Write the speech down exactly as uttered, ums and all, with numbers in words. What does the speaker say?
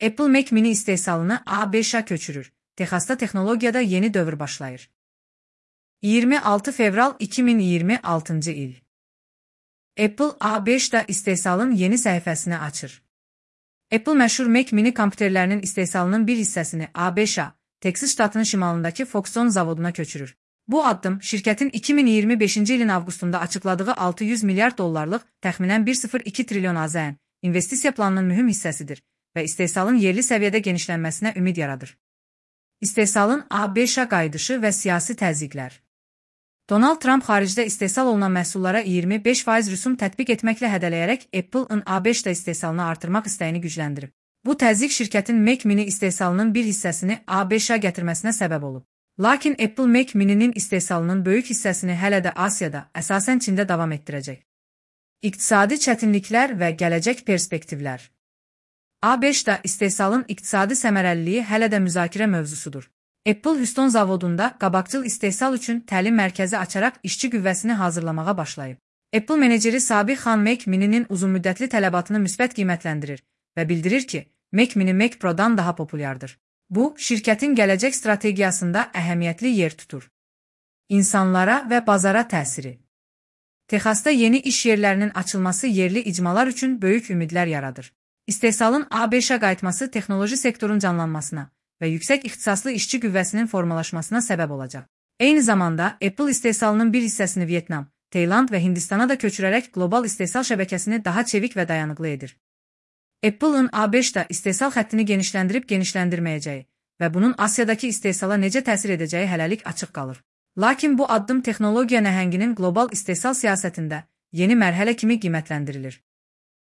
Apple Mac mini istehsalını A B Ş'a köçürür. Texas'ta texnologiyada yeni dövr başlayır. iyirmi altı fevral iki bin iyirmi altıncı il. Apple A B Ş'da istehsalın yeni səhifəsini açır. Apple məşhur Mac mini kompüterlərinin istehsalının bir hissəsini A B Ş'a, Texas ştatının şimalındakı Foxconn zavoduna köçürür. Bu addım şirkətin iki bin iyirmi beşinci ilin avqustunda açıkladığı altı yüz milyard dollarlıq, təxminən bir nöqtə sıfır iki trilyon AZN investisiya planının mühüm hissəsidir və istehsalın yerli səviyyədə genişlənməsinə ümid yaradır. İstehsalın A B Ş'a qayıdışı və siyasi təzyiqlər. Donald Trump xaricdə istehsal olunan məhsullara iyirmi beş faiz rüsum tətbiq etməklə hədələyərək Apple-ın A B Ş'da istehsalını artırmaq istəyini gücləndirib. Bu təzyiq şirkətin Mac mini istehsalının bir hissəsini A B Ş'a gətirməsinə səbəb olub. Lakin Apple Mac mininin istehsalının böyük hissəsini hələ də Asiyada, əsasən Çində davam etdirəcək. İqtisadi çətinliklər və gələcək perspektivlər. A B Ş'da istehsalın iqtisadi səmərəliliyi hələ də müzakirə mövzusudur. Apple Houston zavodunda qabaqcıl istehsal üçün təlim mərkəzi açaraq işçi qüvvəsini hazırlamağa başlayıb. Apple meneceri Sabih Xan Mac mininin uzunmüddətli tələbatını müsbət qiymətləndirir və bildirir ki, Mac mini Mac Pro-dan daha populyardır. Bu, şirkətin gələcək strategiyasında əhəmiyyətli yer tutur. İnsanlara və bazara təsiri. Texasda yeni iş yerlərinin açılması yerli icmalar üçün böyük ümidlər yaradır. İstehsalın A B Ş'a qayıtması texnoloji sektorun canlanmasına və yüksək ixtisaslı işçi qüvvəsinin formalaşmasına səbəb olacaq. Eyni zamanda, Apple istehsalının bir hissəsini Vyetnam, Tayland və Hindistana da köçürərək qlobal istehsal şəbəkəsini daha çevik və dayanıqlı edir. Apple'ın A B Ş'da istehsal xəttini genişləndirib genişləndirməyəcəyi və bunun Asiyadakı istehsala necə təsir edəcəyi hələlik açıq qalır. Lakin bu addım texnologiya nəhənginin qlobal istehsal siyasətində yeni mərhələ kimi qiymətləndirilir.